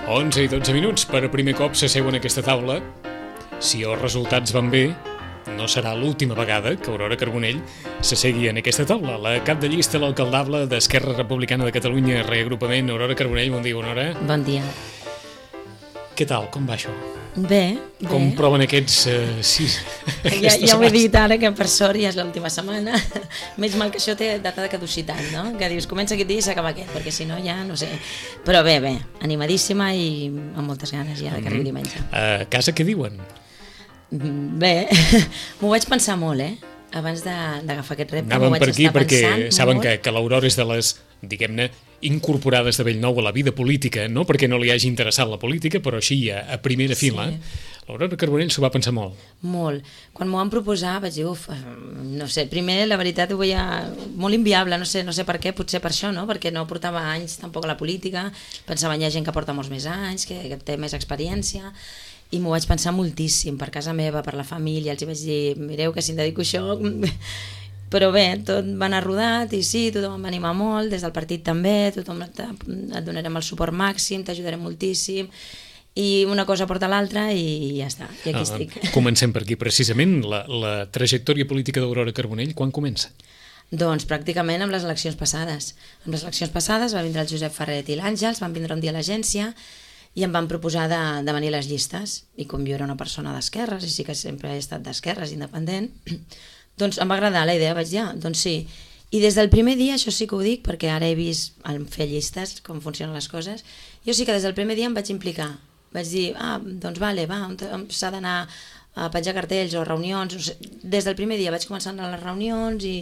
11 i 12 minuts per primer cop s'asseuen a aquesta taula. Si els resultats van bé, no serà l'última vegada que Aurora Carbonell s'assegui en aquesta taula. La cap de llista, l'alcaldable d'Esquerra Republicana de Catalunya, reagrupament. Aurora Carbonell, bon dia, Aurora. Bon dia. Què tal? Com va això? Bé. Com proven aquests sis? Ja ho he dit ara, que per sort ja és l'última setmana. Menys mal que això té data de caducitat, no? Que dius, comença aquest dia i s'acaba aquest, perquè si no ja no sé. Però bé, animadíssima i amb moltes ganes ja que arribi diumenge. A casa què diuen? Bé, m'ho vaig pensar molt, abans d'agafar aquest repte. Anàvem per aquí perquè saben que l'Aurora és de les, diguem-ne, incorporades de bell nou a la vida política, no perquè no li hagi interessat la política, però així a primera fila. L'Aurora Carbonell s'ho va pensar molt. Molt. Quan m'ho van proposar vaig dir, no sé, primer la veritat ho veia molt inviable, no sé per què, potser per això, no? Perquè no portava anys tampoc a la política, pensava hi ha gent que porta molts més anys, que té més experiència, i m'ho vaig pensar moltíssim, per casa meva, per la família, els hi vaig dir, mireu que si em dedico a això... Però bé, tot va anar rodat i sí, tothom em va animar molt, des del partit també, tothom et donarem el suport màxim, t'ajudarem moltíssim, i una cosa porta l'altra i ja està, i aquí estic. Comencem per aquí, precisament, la trajectòria política d'Aurora Carbonell, quan comença? Doncs pràcticament amb les eleccions passades. Amb les eleccions passades va vindre el Josep Ferret i l'Àngels, van vindre un dia a l'agència i em van proposar de venir a les llistes, i com jo era una persona d'esquerres, i sí que sempre he estat d'esquerres, independent, doncs em va agradar la idea, vaig dir, doncs sí. I des del primer dia, això sí que ho dic, perquè ara he vist en fer llistes, com funcionen les coses, jo sí que des del primer dia em vaig implicar. Vaig dir, doncs vale, s'ha d'anar a penjar cartells o reunions, no sé. Des del primer dia vaig començar a anar a les reunions i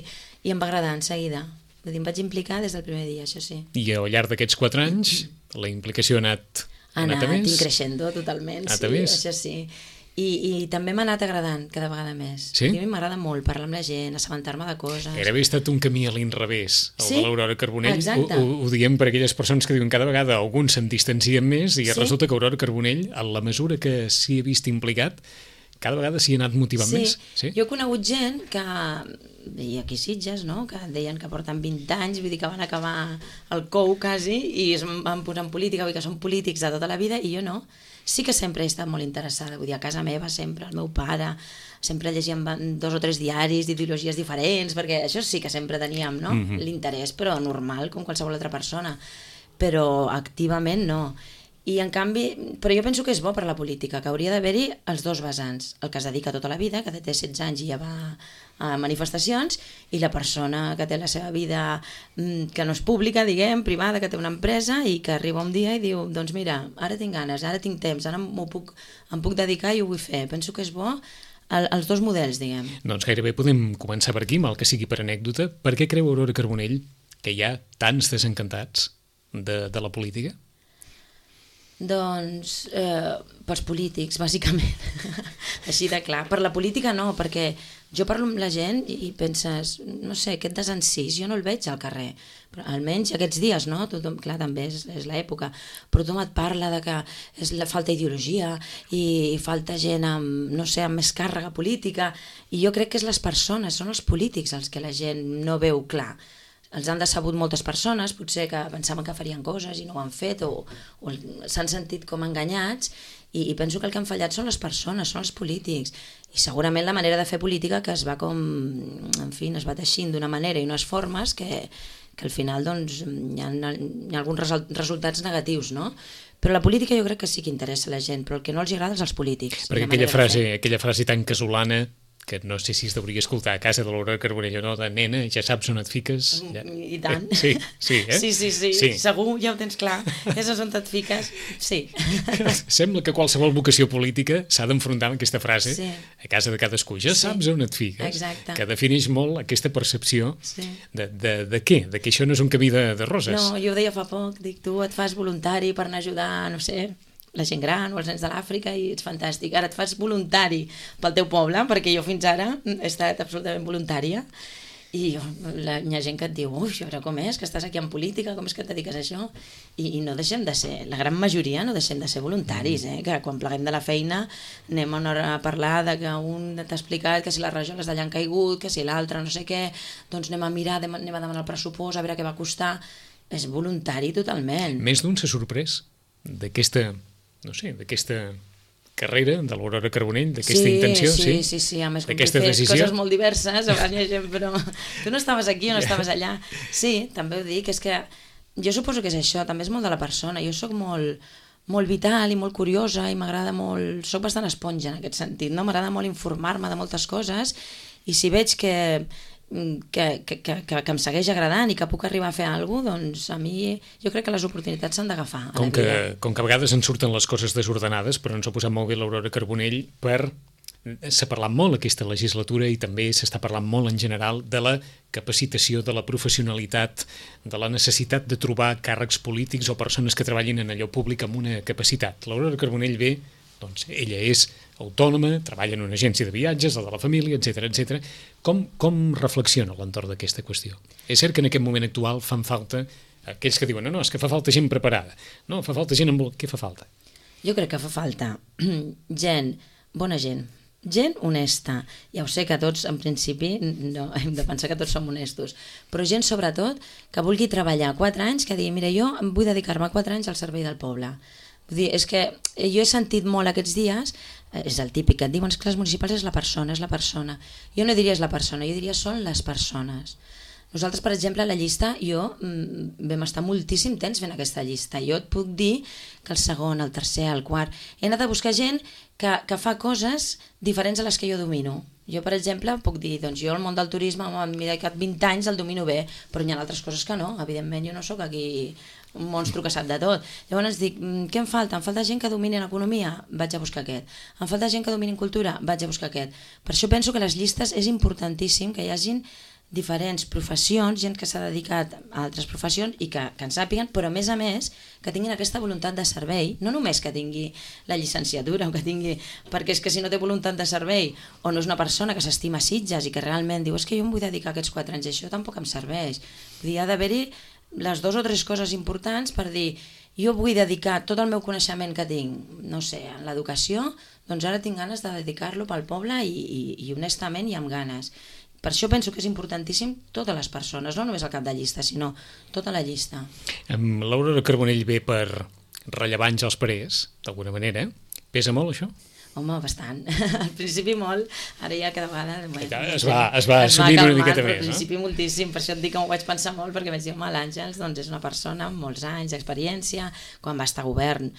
em va agradar en seguida. Vull dir, em vaig implicar des del primer dia, això sí. I al llarg d'aquests 4 anys la implicació ha anat a més? Ha anat increixendo totalment, sí, això sí. I també m'ha anat agradant cada vegada més. Sí? A mi m'agrada molt parlar amb la gent, assabentar-me de coses. Gairebé ha estat un camí a l'inrevés, el de l'Aurora Carbonell. Exacte. Ho diem per aquelles persones que diuen cada vegada alguns se'n distancien més i resulta que Aurora Carbonell, en la mesura que s'hi ha vist implicat, cada vegada s'hi ha anat motivant més. Sí, jo he conegut gent que, i aquí Sitges, no? Que deien que porten 20 anys, vull dir que van acabar el COU quasi i es van posar en política, vull dir que són polítics de tota la vida i jo no. Sí que sempre he estat molt interessada, vull dir, a casa meva sempre, el meu pare, sempre llegíem 2 o 3 diaris d'ideologies diferents, perquè això sí que sempre teníem, no? L'interès, però normal, com qualsevol altra persona, però activament no. I en canvi, però jo penso que és bo per la política, que hauria d'haver-hi els dos vessants, el que es dedica tota la vida, que té 16 anys i ja va a manifestacions, i la persona que té la seva vida que no és pública, diguem, privada, que té una empresa i que arriba un dia i diu, doncs mira, ara tinc ganes, ara tinc temps, ara em puc dedicar i ho vull fer. Penso que és bo els dos models, diguem. Doncs gairebé podem començar per aquí, mal que sigui per anècdota. Per què creu Aurora Carbonell que hi ha tants desencantats de la política? Doncs pels polítics, bàsicament, així de clar. Per la política no, perquè jo parlo amb la gent i penses, no sé, aquest desencís jo no el veig al carrer, però almenys aquests dies, no? Tothom, clar, també és l'època, però tothom et parla de que falta ideologia i falta gent amb, no sé, amb més càrrega política, i jo crec que és les persones, són els polítics els que la gent no veu clar. Els han decebut moltes persones, potser que pensaven que farien coses i no ho han fet o s'han sentit com enganyats i penso que el que han fallat són les persones, són els polítics i segurament la manera de fer política que es va com, en fi, es va teixint d'una manera i unes formes que al final doncs hi ha alguns resultats negatius, no? Però la política jo crec que sí que interessa a la gent, però el que no els agrada és els polítics. Perquè aquella frase tan casolana que no sé si es deuria escoltar a casa de l'Aurora Carbonell o no, de nena, ja saps on et fiques. Ja. I tant. Sí, eh? Sí, segur, ja ho tens clar. És on et fiques, sí. Sembla que qualsevol vocació política s'ha d'enfrontar amb aquesta frase a casa de cadascú. Ja saps on et fiques. Exacte. Que defineix molt aquesta percepció de què? De que això no és un camí de roses. No, jo ho deia fa poc, dic, tu et fas voluntari per anar a ajudar, no sé, la gent gran o els nens de l'Àfrica i ets fantàstic. Ara et fas voluntari pel teu poble, perquè jo fins ara he estat absolutament voluntària i hi ha gent que et diu, ui, a veure com és, que estàs aquí en política, com és que et dediques a això? I no deixem de ser, la gran majoria no deixem de ser voluntaris, que quan pleguem de la feina anem una hora a parlar de que un t'ha explicat que si les rajoles d'allà han caigut, que si l'altre no sé què, doncs anem a mirar, anem a demanar el pressupost, a veure què va costar. És voluntari totalment. Més d'un s'ha sorprès d'aquesta, no sé, d'aquesta carrera de l'Aurora Carbonell, d'aquesta intenció, sí, a més com tu fes coses molt diverses, però tu no estaves aquí o no estaves allà. Sí, també ho dic, és que jo suposo que és això, també és molt de la persona. Jo sóc molt vital i molt curiosa i m'agrada molt, sóc bastant esponja en aquest sentit, no? M'agrada molt informar-me de moltes coses i si veig que em segueix agradant i que puc arribar a fer alguna cosa, doncs a mi jo crec que les oportunitats s'han d'agafar. Com que a vegades ens surten les coses desordenades, però ens ha posat molt bé l'Aurora Carbonell s'ha parlat molt aquesta legislatura i també s'està parlant molt en general de la capacitació, de la professionalitat, de la necessitat de trobar càrrecs polítics o persones que treballin en allò públic amb una capacitat. L'Aurora Carbonell ve, doncs ella és autònoma, treballa en una agència de viatges, la de la família, etc. Com reflexiona a l'entorn d'aquesta qüestió? És cert que en aquest moment actual fan falta aquells que diuen no, és que fa falta gent preparada, no, fa falta gent amb... Què fa falta? Jo crec que fa falta bona gent honesta. Ja ho sé que tots, en principi, no hem de pensar que tots som honestos, però gent, sobretot, que vulgui treballar 4 anys, que digui, mira, jo vull dedicar-me 4 anys al servei del poble. Vull dir, és que jo he sentit molt aquests dies, és el típic, que et diuen que les municipals és la persona. Jo no diria és la persona, jo diria són les persones. Nosaltres, per exemple, a la llista, vam estar moltíssim temps fent aquesta llista. Jo et puc dir que el segon, el tercer, el quart... He anat a buscar gent que fa coses diferents a les que jo domino. Jo, per exemple, puc dir, doncs jo el món del turisme m'he dedicat 20 anys, el domino bé, però hi ha altres coses que no. Evidentment, jo no sóc aquí un monstru que sap de tot. Llavors dic, què em falta? Em falta gent que domini l'economia? Vaig a buscar aquest. Em falta gent que domini cultura? Vaig a buscar aquest. Per això penso que les llistes és importantíssim que hi hagin diferents professions, gent que s'ha dedicat a altres professions i que en sàpiguen, però a més que tinguin aquesta voluntat de servei, no només que tingui la llicenciatura o que tingui, perquè és que si no té voluntat de servei o no és una persona que s'estima Sitges i que realment diu és que jo em vull dedicar aquests 4 anys i això tampoc em serveix. Vull dir, ha d'haver-hi les 2 o 3 coses importants per dir jo vull dedicar tot el meu coneixement que tinc, no sé, en l'educació, doncs ara tinc ganes de dedicar-lo pel poble i honestament i amb ganes. Per això penso que és importantíssim totes les persones, no només el cap de llista, sinó tota la llista. L'Aurora Carbonell ve per rellevar Àngels Parés, d'alguna manera. Pesa molt, això? Home, bastant. Al principi molt, ara ja cada vegada... Es va assumint una miqueta més, no? Al principi moltíssim, per això et dic que m'ho vaig pensar molt, perquè vaig dir, home, l'Àngels doncs, és una persona amb molts anys d'experiència, quan va estar a govern,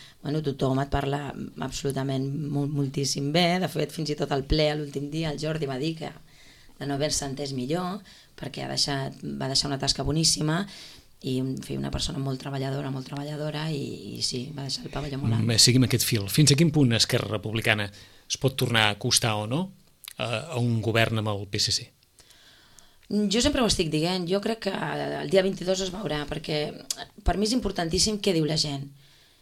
tothom et parla absolutament moltíssim bé, de fet, fins i tot al ple, l'últim dia, el Jordi va dir que de no haver-se entès millor, perquè va deixar una tasca boníssima i una persona molt treballadora i sí, va deixar el pavelló molt alt. Seguim aquest fil. Fins a quin punt Esquerra Republicana es pot tornar a acostar o no a un govern amb el PSC? Jo sempre ho estic dient, jo crec que el dia 22 es veurà, perquè per mi és importantíssim què diu la gent.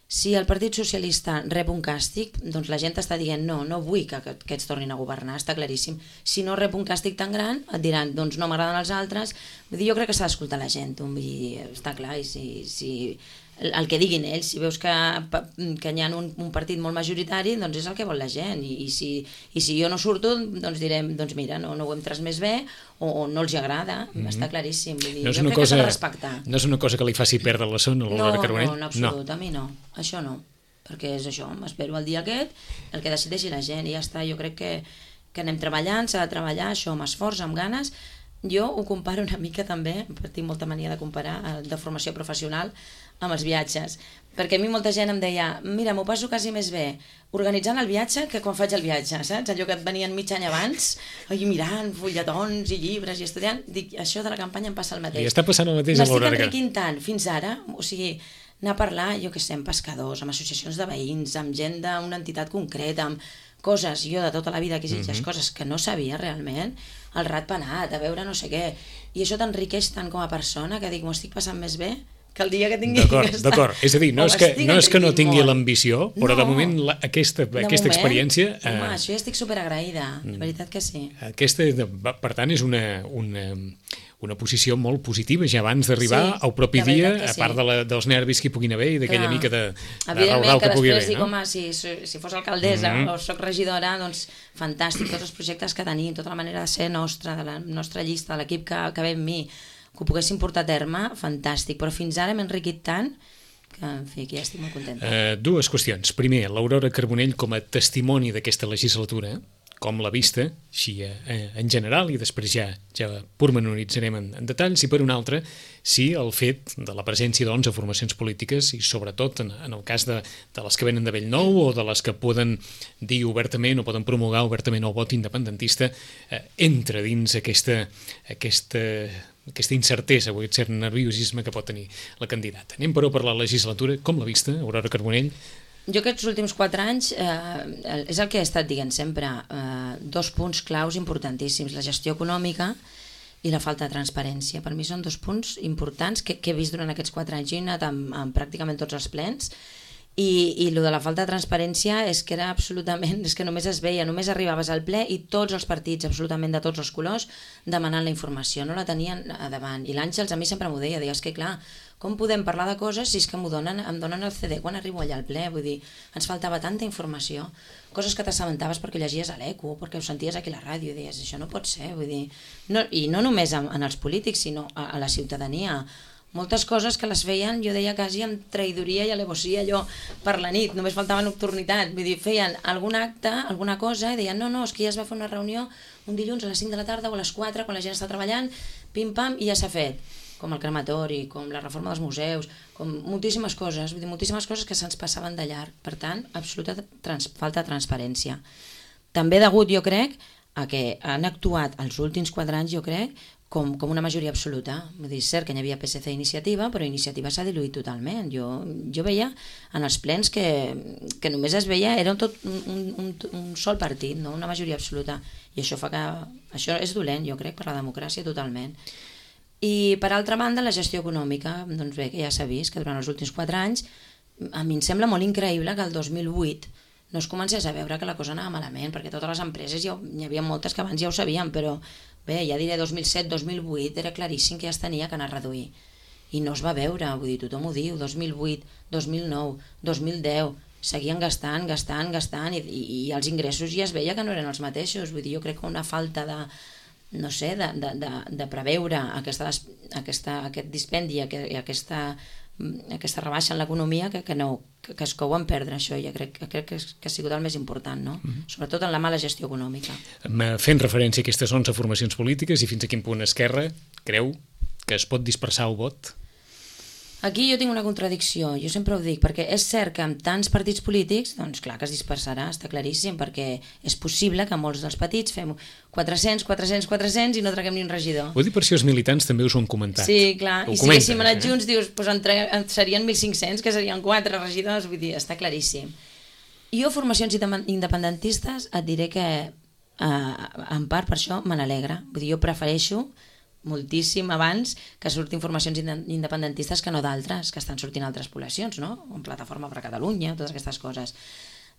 Si el Partit Socialista rep un càstig, doncs la gent està dient no vull que aquests tornin a governar, està claríssim. Si no rep un càstig tan gran, et diran doncs no m'agraden els altres. Vull dir, jo crec que s'ha d'escoltar la gent, està clar, i si el que diguin ells, si veus que hi ha un partit molt majoritari, doncs és el que vol la gent, i si jo no surto, doncs direm, doncs mira, no ho hem transmès bé, o no els agrada, està claríssim. Vull dir, jo crec que s'ha de respectar. No és una cosa que li faci perdre la son a l'Aurora Carbonell? No, en absolut, a mi no, això no, perquè és això, m'espero el dia aquest, el que decideixi la gent, i ja està. Jo crec que anem treballant, s'ha de treballar això amb esforç, amb ganes. Jo ho comparo una mica també, tinc molta mania de comparar de formació professional amb els viatges, perquè a mi molta gent em deia, mira, m'ho passo quasi més bé organitzant el viatge que quan faig el viatge, saps? Allò que et venien mig any abans, mirant fulletons i llibres i estudiant, dic, això de la campanya em passa el mateix. I està passant el mateix a l'Aurora. M'estic enriquint tant fins ara, o sigui, anar a parlar, jo què sé, amb pescadors, amb associacions de veïns, amb gent d'una entitat concreta, amb coses, jo de tota la vida que exigeix coses que no sabia realment, el ratpenat, a veure no sé què, i això t'enriqueix tant com a persona que dic, m'ho estic passant més bé que el dia que tingui D'acord, és a dir, no és que no tingui l'ambició, però de moment aquesta experiència... Home, això ja estic superagraïda, de veritat que sí. Aquesta, per tant, és una posició molt positiva ja abans d'arribar al propi dia, a part dels nervis que hi puguin haver i d'aquella mica de raudal que pugui haver. Evidentment que després dic, home, si fos alcaldessa o soc regidora, doncs fantàstic, tots els projectes que tenim, tota la manera de ser nostra, de la nostra llista, de l'equip que ve amb mi, que ho poguéssim portar a terme, fantàstic, però fins ara m'he enriquit tant en fi, que ja estic molt contenta. Dues qüestions. Primer, l'Aurora Carbonell com a testimoni d'aquesta legislatura, com l'ha vista, així en general, i després ja pormenoritzarem en detalls, i per una altra, si el fet de la presència d'11 formacions polítiques, i sobretot en el cas de les que venen de Bellnou o de les que poden dir obertament o poden promulgar obertament el vot independentista, entra dins aquesta incertesa o aquest cert nerviosisme que pot tenir la candidata. Anem però per la legislatura. Com l'ha vista, Aurora Carbonell? Jo aquests últims 4 anys és el que he estat dient sempre, 2 punts claus importantíssims, la gestió econòmica i la falta de transparència. Per mi són 2 punts importants que he vist durant aquests 4 anys. Jo he anat amb pràcticament tots els plens i el de la falta de transparència és que era absolutament, és que només es veia, només arribaves al ple i tots els partits, absolutament de tots els colors, demanant la informació, no la tenien a davant. I l'Àngels a mi sempre m'ho deia, és que clar, com podem parlar de coses si és que em donen el CD quan arribo allà al ple? Vull dir, ens faltava tanta informació, coses que t'assabentaves perquè llegies a l'ECO, perquè ho senties aquí a la ràdio, i deies, això no pot ser, vull dir, no, i no només en els polítics, sinó a la ciutadania. Moltes coses que les feien, jo deia quasi amb traïdoria i alevosia allò per la nit, només faltava nocturnitat, vull dir, feien algun acte, alguna cosa, i deien, no, és que ja es va fer una reunió un dilluns a les 5 de la tarda o a les 4, quan la gent està treballant, pim-pam, i ja s'ha fet. Com el crematori, com la reforma dels museus, com moltíssimes coses, vull dir, moltíssimes coses que se'ns passaven de llarg. Per tant, absoluta falta de transparència. També degut, jo crec, a que han actuat els últims 4 anys, jo crec, com una majoria absoluta. Vull dir, és cert que hi havia PSC i Iniciativa, però Iniciativa s'ha diluït totalment. Jo veia en els plens que només es veia, era tot un sol partit, no? Una majoria absoluta. I això fa que... Això és dolent, jo crec, per la democràcia totalment. I per altra banda, la gestió econòmica, doncs bé, que ja s'ha vist que durant els últims 4 anys a mi em sembla molt increïble que el 2008 no es comencés a veure que la cosa anava malament, perquè totes les empreses, n'hi havia moltes que abans ja ho sabien, però bé, ja diré 2007-2008 era claríssim que ja es tenia que anar a reduir i no es va veure, vull dir, tothom ho diu, 2008, 2009, 2010 seguien gastant i els ingressos ja es veia que no eren els mateixos. Vull dir, jo crec que una falta de no sé, de preveure aquest dispendi, aquesta rebaixa en l'economia que es couen perdre això. Jo crec que ha sigut el més important, no? Sobretot en la mala gestió econòmica. Fent referència a aquestes 11 formacions polítiques i fins a quin punt Esquerra creu que es pot dispersar el vot? Aquí jo tinc una contradicció, jo sempre ho dic, perquè és cert que amb tants partits polítics, doncs clar que es dispersarà, està claríssim, perquè és possible que molts dels petits fem 400 i no traguem ni un regidor. Ho dic per si els militants també us ho han comentat. Sí, clar, i si haguéssim anat junts, dius, doncs serien 1.500, que serien 4 regidors, vull dir, està claríssim. Jo, formacions independentistes, et diré que en part per això me n'alegra, vull dir, jo prefereixo moltíssim abans que surtin formacions independentistes que no d'altres, que estan sortint altres poblacions, no? Com Plataforma per Catalunya, totes aquestes coses.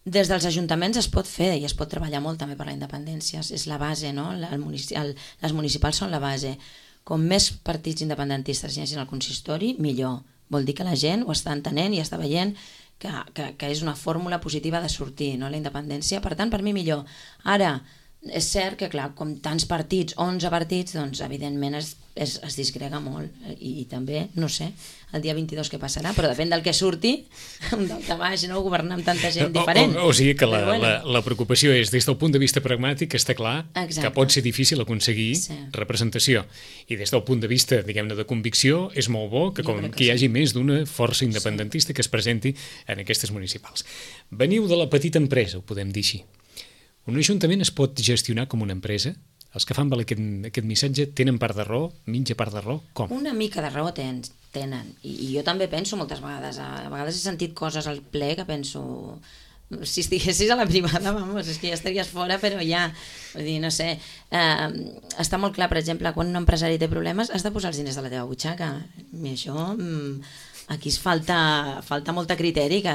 Des dels ajuntaments es pot fer i es pot treballar molt també per la independència, és la base, no? Les municipals són la base. Com més partits independentistes hi hagi al consistori, millor. Vol dir que la gent ho està entenent i està veient que és una fórmula positiva de sortir, no? La independència, per tant, per mi millor. Ara, és cert que, clar, com tants partits, 11 partits, doncs, evidentment es disgrega molt. I també, no sé, el dia 22 què passarà, però depèn del que surti, un daltabaix, no? Governar amb tanta gent diferent. O sigui que la preocupació és, des del punt de vista pragmàtic, està clar que pot ser difícil aconseguir representació. I des del punt de vista, diguem-ne, de convicció, és molt bo que hi hagi més d'una força independentista que es presenti en aquestes municipals. Veniu de la petita empresa, ho podem dir així. Un ajuntament es pot gestionar com una empresa? Els que fan aquest missatge tenen part de raó, mitja part de raó? Com? Una mica de raó tenen. I jo també penso moltes vegades. A vegades he sentit coses al ple que penso... Si estiguessis a la privada, vamos, és que ja estaries fora, però ja... Vull dir, no sé... Està molt clar, per exemple, quan un empresari té problemes has de posar els diners de la teva butxaca. I això... Aquí es falta molta criteri, que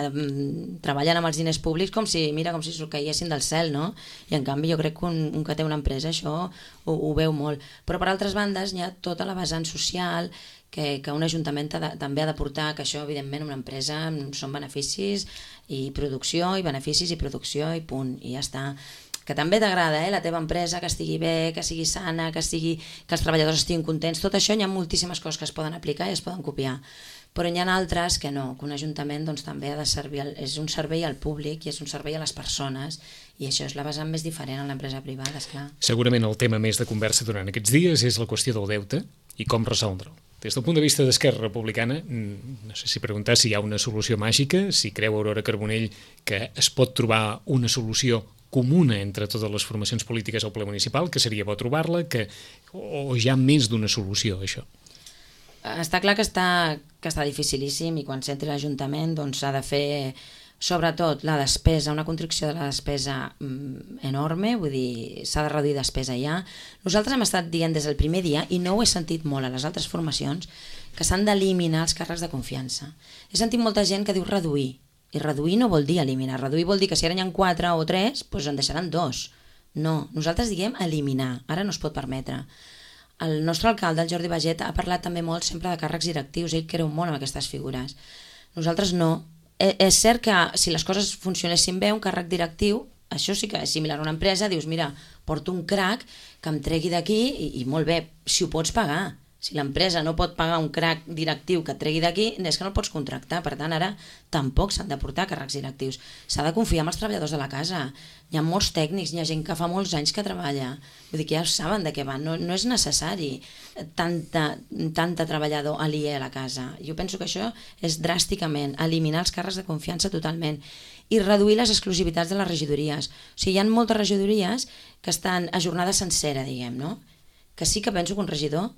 treballen amb els diners públics com si caiguessin del cel, no? I en canvi jo crec que un que té una empresa això ho veu molt. Però per altres bandes hi ha tota la vessant social que un ajuntament també ha de portar, que això evidentment una empresa són beneficis i producció i beneficis i producció i punt, i ja està. que també t'agrada, la teva empresa, que estigui bé, que sigui sana, que els treballadors estiguin contents, tot això hi ha moltíssimes coses que es poden aplicar i es poden copiar. Però hi ha altres que no, que un ajuntament doncs, també ha de servir, és un servei al públic i és un servei a les persones, i això és la vessant més diferent en l'empresa privada, esclar. Segurament el tema més de conversa durant aquests dies és la qüestió del deute i com resoldre'l. Des del punt de vista d'Esquerra Republicana, no sé si preguntar si hi ha una solució màgica, si creu Aurora Carbonell que es pot trobar una solució comuna entre totes les formacions polítiques al ple municipal, que seria bo trobar-la, o hi ha més d'una solució, això? Està clar que està dificilíssim, i quan s'entri l'Ajuntament doncs s'ha de fer sobretot la despesa, una constricció de la despesa enorme, vull dir, s'ha de reduir despesa ja. Nosaltres hem estat dient des del primer dia, i no ho he sentit molt a les altres formacions, que s'han d'eliminar els càrrecs de confiança. He sentit molta gent que diu reduir, i reduir no vol dir eliminar, reduir vol dir que si ara hi ha 4 o 3, doncs en deixaran 2. No, nosaltres diguem eliminar, ara no es pot permetre. El nostre alcalde, el Jordi Baget, ha parlat també molt sempre de càrrecs directius, ell creu molt en aquestes figures. Nosaltres no. És cert que si les coses funcionessin bé, un càrrec directiu, això sí que és similar a una empresa, dius, mira, porto un crac que em tregui d'aquí i molt bé, si ho pots pagar. Si l'empresa no pot pagar un crac directiu que et tregui d'aquí, és que no el pots contractar. Per tant, ara tampoc s'han de portar càrrecs directius. S'ha de confiar en els treballadors de la casa. Hi ha molts tècnics, hi ha gent que fa molts anys que treballa. Vull dir que ja saben de què van. No és necessari tanta treballador aliè a la casa. Jo penso que això és dràsticament eliminar els càrrecs de confiança totalment i reduir les exclusivitats de les regidories. O sigui, hi ha moltes regidories que estan a jornada sencera, diguem, no? Que sí que penso que un regidor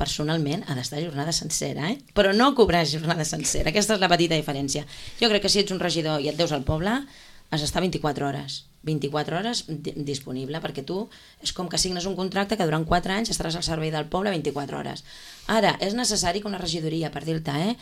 personalment ha d'estar a jornada sencera, però no cobrar jornada sencera. Aquesta és la petita diferència. Jo crec que si ets un regidor i et deus al poble, has d'estar 24 hores. 24 hores disponible, perquè tu és com que signes un contracte que durant 4 anys estaràs al servei del poble 24 hores. Ara, és necessari que una regidoria, per dir-te,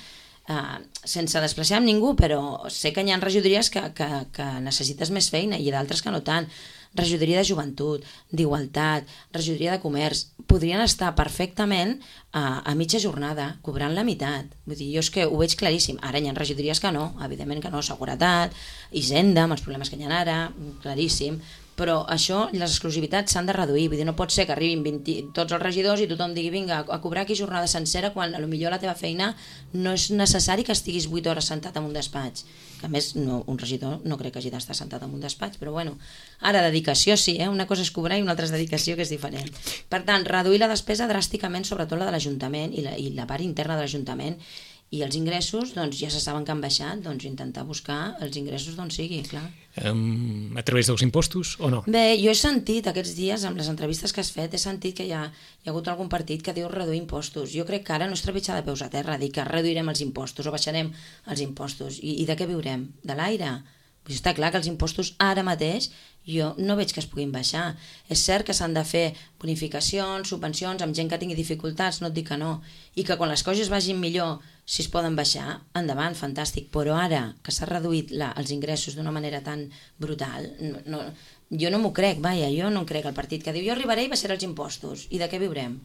sense desplaçar amb ningú, però sé que hi ha regidories que necessites més feina i d'altres que no tant. Regidoria de joventut, d'igualtat, regidoria de comerç, podrien estar perfectament a mitja jornada, cobrant la meitat. Vull dir, jo és que ho veig claríssim. Ara hi ha regidories que no, evidentment que no, seguretat, Hisenda, amb els problemes que hi ha ara, claríssim, però això, les exclusivitats s'han de reduir, vull dir, no pot ser que arribin tots els regidors i tothom digui vinga, a cobrar aquí jornada sencera quan potser la teva feina no és necessari que estiguis 8 hores sentat en un despatx, que a més un regidor no crec que hagi d'estar sentat en un despatx, però bueno, ara dedicació sí, una cosa és cobrar i una altra és dedicació, que és diferent. Per tant, reduir la despesa dràsticament, sobretot la de l'Ajuntament i la part interna de l'Ajuntament, i els ingressos, doncs ja se saben que han baixat, doncs intentar buscar els ingressos d'on sigui, clar. A través dels impostos o no? Bé, jo he sentit aquests dies, amb les entrevistes que has fet, he sentit que hi ha hagut algun partit que diu reduir impostos. Jo crec que ara no és trepitjar de peus a terra, dir que reduirem els impostos o baixarem els impostos. I de què viurem? De l'aire? Està clar que els impostos ara mateix jo no veig que es puguin baixar. És cert que s'han de fer bonificacions, subvencions amb gent que tingui dificultats, no et dic que no, i que quan les coses vagin millor, si es poden baixar, endavant, fantàstic, però ara que s'ha reduït els ingressos d'una manera tan brutal, jo no m'ho crec, vaja, jo no crec el partit que diu jo arribaré i baixaré els impostos, i de què viurem?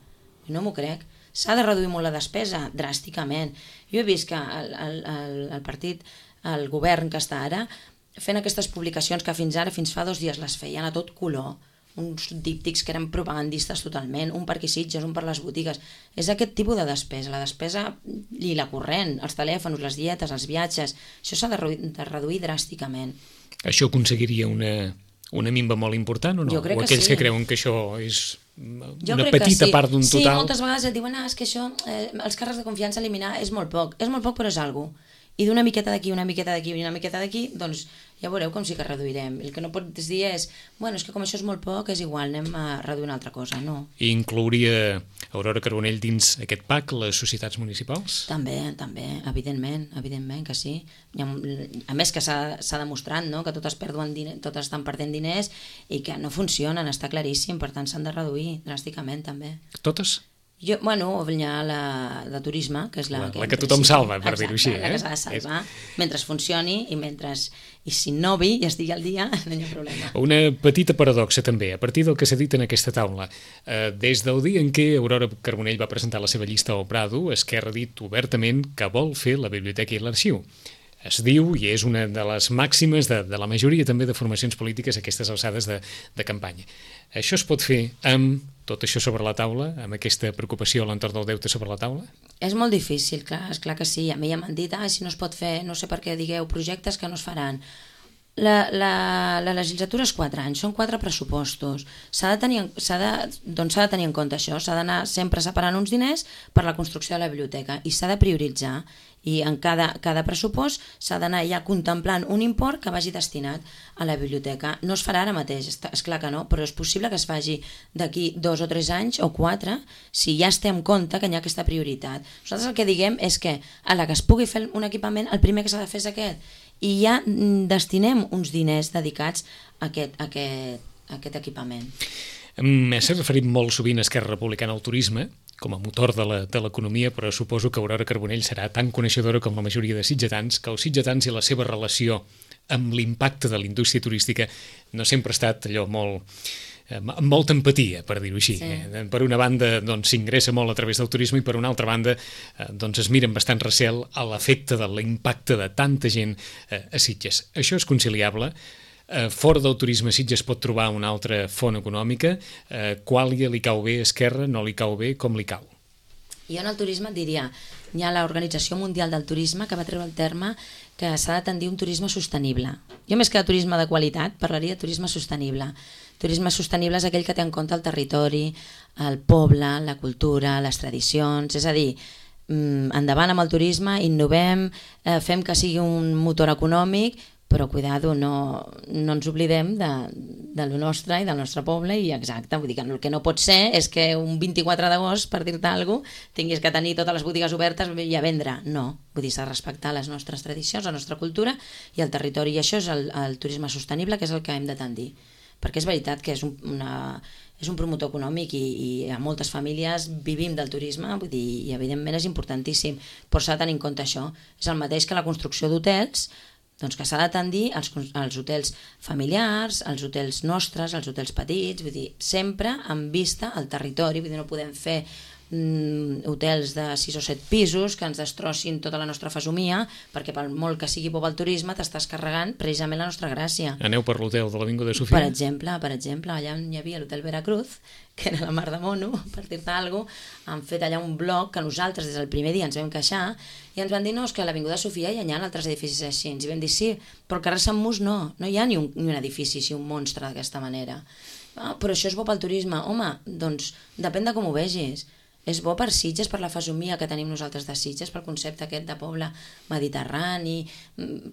No m'ho crec. S'ha de reduir molt la despesa, dràsticament. Jo he vist que el partit, el govern que està ara, fent aquestes publicacions que fins fa 2 dies les feien a tot color, uns díptics que eren propagandistes totalment, un per aquí Sitges, un per les botigues. És aquest tipus de despesa, la despesa i la corrent, els telèfons, les dietes, els viatges, això s'ha de reduir dràsticament. Això aconseguiria una minva molt important o no? Jo crec o aquells que sí. que creuen que això és una petita petita part d'un total? Sí, moltes vegades et diuen és que això, els càrrecs de confiança eliminar és molt poc però és alguna cosa. I d'una miqueta d'aquí, una miqueta d'aquí i una miqueta d'aquí, doncs ja veureu com sí que reduirem. El que no pots dir és, bueno, és que com això és molt poc, és igual, anem a reduir una altra cosa, no. I inclouria Aurora Carbonell dins aquest PAC les societats municipals? També, evidentment que sí. A més que s'ha demostrat, no?, que totes estan perdent diners i que no funcionen, està claríssim, per tant s'han de reduir dràsticament també. Totes? Bueno, hi ha la de turisme, que és la que tothom salva, per dir-ho així. La que s'ha de salvar, mentre funcioni i si innovi i estigui al dia, no hi ha problema. Una petita paradoxa també, a partir del que s'ha dit en aquesta taula. Des del dia en què Aurora Carbonell va presentar la seva llista al Prado, Esquerra ha dit obertament que vol fer la biblioteca i l'arxiu. Es diu, i és una de les màximes de la majoria també de formacions polítiques a aquestes alçades de campanya. Això es pot fer amb tot això sobre la taula, amb aquesta preocupació a l'entorn del deute sobre la taula? És molt difícil, clar, esclar que sí. A mi ja m'han dit, si no es pot fer, no sé per què digueu projectes que no es faran. La legislatura és 4 anys, són 4 pressupostos. S'ha de tenir en compte això, s'ha d'anar sempre separant uns diners per la construcció de la biblioteca i s'ha de prioritzar, i en cada pressupost s'ha d'anar ja contemplant un import que vagi destinat a la biblioteca. No es farà ara mateix, és clar que no, però és possible que es faci d'aquí 2 o 3 anys o 4 si ja es té en compte que hi ha aquesta prioritat. Nosaltres el que diguem és que a la que es pugui fer un equipament, el primer que s'ha de fer és aquest, i ja destinem uns diners dedicats a aquest equipament. S'ha referit molt sovint a Esquerra Republicana al turisme com a motor de l'economia, però suposo que Aurora Carbonell serà tan coneixedora com la majoria de sitgetans, que els sitgetans i la seva relació amb l'impacte de la indústria turística no sempre ha estat allò amb molta empatia, per dir-ho així. Sí. Per una banda s'ingressa molt a través del turisme i per una altra banda es mira amb bastant recel a l'efecte de l'impacte de tanta gent a Sitges. Això és conciliable? Fora del turisme Sitges pot trobar una altra font econòmica? Quàlia li cau bé, Esquerra no li cau bé, com li cau? Jo en el turisme et diria, hi ha l'Organització Mundial del Turisme que va treure el terme que s'ha de tendir un turisme sostenible. Jo més que de turisme de qualitat parlaria de turisme sostenible. Turisme sostenible és aquell que té en compte el territori, el poble, la cultura, les tradicions, és a dir, endavant amb el turisme, innovem, fem que sigui un motor econòmic, però cuidado, no ens oblidem de lo nostre i del nostre poble, i exacte, vull dir que el que no pot ser és que un 24 d'agost, per dir-te alguna cosa, tinguis que tenir totes les botigues obertes i a vendre. No, vull dir, s'ha de respectar les nostres tradicions, la nostra cultura i el territori, i això és el turisme sostenible, que és el que hem de tendir, perquè és veritat que és un promotor econòmic i a moltes famílies vivim del turisme, vull dir, i evidentment és importantíssim, però s'ha de tenir en compte això. És el mateix que la construcció d'hotels, doncs que s'ha de tendir als hotels familiars, als hotels nostres, als hotels petits, vull dir, sempre amb vista al territori, vull dir, no podem fer hotels de 6 o 7 pisos que ens destrossin tota la nostra fesomia, perquè per molt que sigui bo el turisme t'estàs carregant precisament la nostra gràcia. Aneu per l'hotel de l'Avinguda Sofia? Per exemple, allà on hi havia l'hotel Veracruz, que era la mar de mono, per dir-te alguna cosa, han fet allà un bloc que nosaltres des del primer dia ens vam queixar i ens van dir, no, és que a l'Avinguda Sofia hi ha altres edificis així, i vam dir sí, però al carrer Sant Mus no hi ha ni un edifici així, un monstre d'aquesta manera. Però això és bo pel turisme. Home, doncs depèn de com ho vegis. És bo per Sitges, per la fesomia que tenim nosaltres de Sitges, pel concepte aquest de poble mediterrani.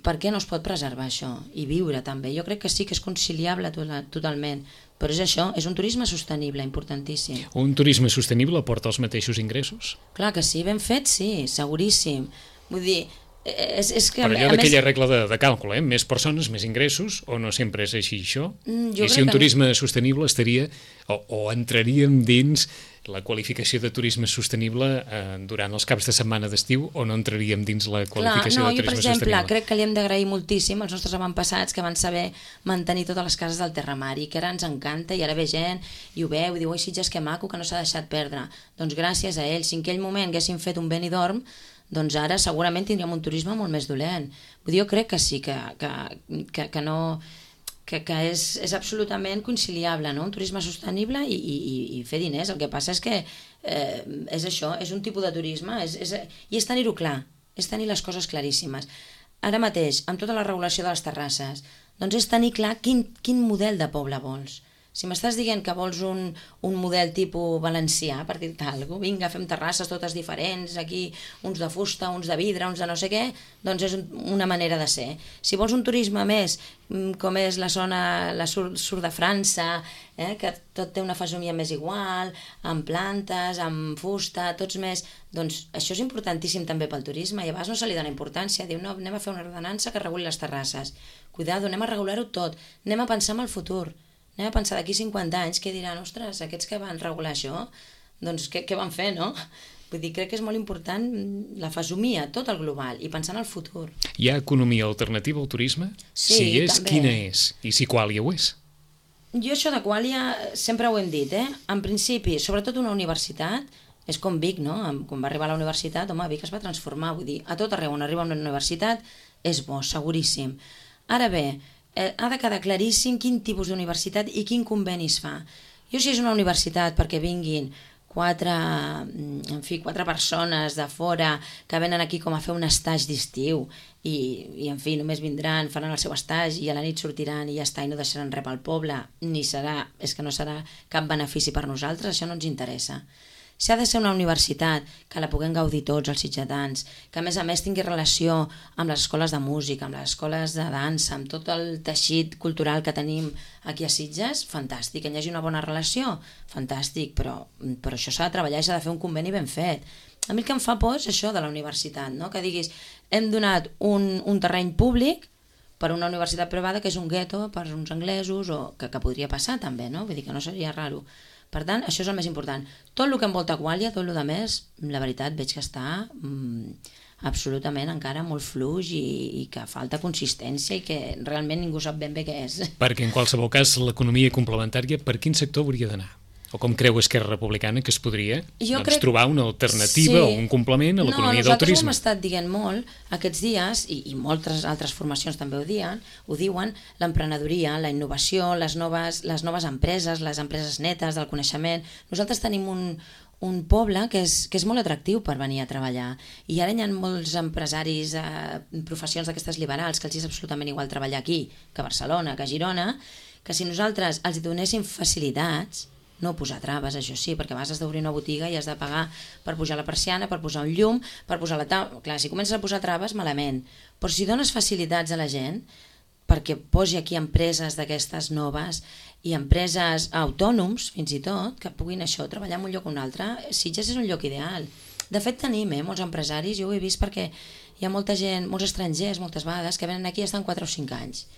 Per què no es pot preservar això? I viure també. Jo crec que sí que és conciliable totalment. Però és això, és un turisme sostenible, importantíssim. Un turisme sostenible aporta els mateixos ingressos? Clar que sí, ben fet, sí, seguríssim. Vull dir, és que... Per allò d'aquella regla de càlcul, més persones, més ingressos, o no sempre és així això? I si un turisme sostenible estaria, o entraríem dins la qualificació de turisme sostenible durant els caps de setmana d'estiu, o no entraríem dins la qualificació de turisme sostenible? Jo, per exemple, crec que li hem d'agrair moltíssim als nostres avantpassats que van saber mantenir totes les cases del terramari, que ara ens encanta, i ara ve gent i ho veu i diu, oi, Sitges, que maco, que no s'ha deixat perdre. Doncs gràcies a ells, si en aquell moment haguéssim fet un Benidorm, doncs ara segurament tindríem un turisme molt més dolent. Vull dir, jo crec que sí, que no... que és absolutament conciliable, no? Un turisme sostenible i fer diners. El que passa és que és això, és un tipus de turisme, i és tenir-ho clar, és tenir les coses claríssimes. Ara mateix, amb tota la regulació de les terrasses, doncs és tenir clar quin model de poble vols. Si m'estàs dient que vols un model tipus valencià, per dir-te alguna cosa, vinga, fem terrasses totes diferents, aquí uns de fusta, uns de vidre, uns de no sé què, doncs és una manera de ser. Si vols un turisme més, com és la zona, sud de França, que tot té una fesomia més igual, amb plantes, amb fusta, tots més... Doncs això és importantíssim també pel turisme, i a vegades no se li dona importància, diu, no, anem a fer una ordenança que reguli les terrasses. Cuidado, anem a regular-ho tot, anem a pensar en el futur. Anem a pensar d'aquí 50 anys, què diran, ostres, aquests que van regular això, doncs què van fer, no? Vull dir, crec que és molt important la fesomia, tot el global, i pensar en el futur. Hi ha economia alternativa al turisme? Sí, si és, també. Quina és? I si Quàlia ho és? Jo això de Quàlia sempre ho hem dit, En principi, sobretot una universitat, És com Vic, no? Quan va arribar a la universitat, home, Vic es va transformar, vull dir, a tot arreu on arriba a una universitat és bo, seguríssim. Ara bé, ha de quedar claríssim quin tipus d'universitat i quin conveni es fa. Jo si és una universitat perquè vinguin quatre persones de fora que venen aquí com a fer un estatge d'estiu i en fi, només vindran, faran el seu estatge i a la nit sortiran i ja està, i no deixaran res pel poble, és que no serà cap benefici per nosaltres, això no ens interessa. Si ha de ser una universitat que la puguem gaudir tots els sitgetans, que a més tingui relació amb les escoles de música, amb les escoles de dansa, amb tot el teixit cultural que tenim aquí a Sitges, fantàstic. Que hi hagi una bona relació, fantàstic, però això s'ha de treballar i s'ha de fer un conveni ben fet. A mi el que em fa por és això de la universitat, no? Que diguis, hem donat un terreny públic per una universitat privada que és un gueto per uns anglesos, o que podria passar també, no? Vull dir que no seria raro. Per tant, això és el més important. Tot el que envolta Quàlia, tot el que més, la veritat, veig que està absolutament encara molt fluix i que falta consistència i que realment ningú sap ben bé què és. Perquè en qualsevol cas l'economia complementària per quin sector hauria d'anar? O com creu Esquerra Republicana que es podria trobar una alternativa o un complement a l'economia del turisme? Nosaltres ho hem estat dient molt aquests dies, i moltes altres formacions també ho diuen, l'emprenedoria, la innovació, les noves empreses, les empreses netes del coneixement. Nosaltres tenim un poble que és molt atractiu per venir a treballar, i ara hi ha molts empresaris, professions d'aquestes liberals, que els és absolutament igual treballar aquí que a Barcelona, que a Girona, que si nosaltres els donéssim facilitats, no posar traves, això sí, perquè abans has d'obrir una botiga i has de pagar per pujar la persiana, per posar un llum, per posar la taula. Clar, si comences a posar traves, malament. Però si dones facilitats a la gent perquè posi aquí empreses d'aquestes noves i empreses autònoms, fins i tot, que puguin això, treballar en un lloc o un altre, Sitges és un lloc ideal. De fet, tenim molts empresaris, jo ho he vist perquè hi ha molta gent, molts estrangers, moltes vegades, que venen aquí i estan 4 o 5 anys.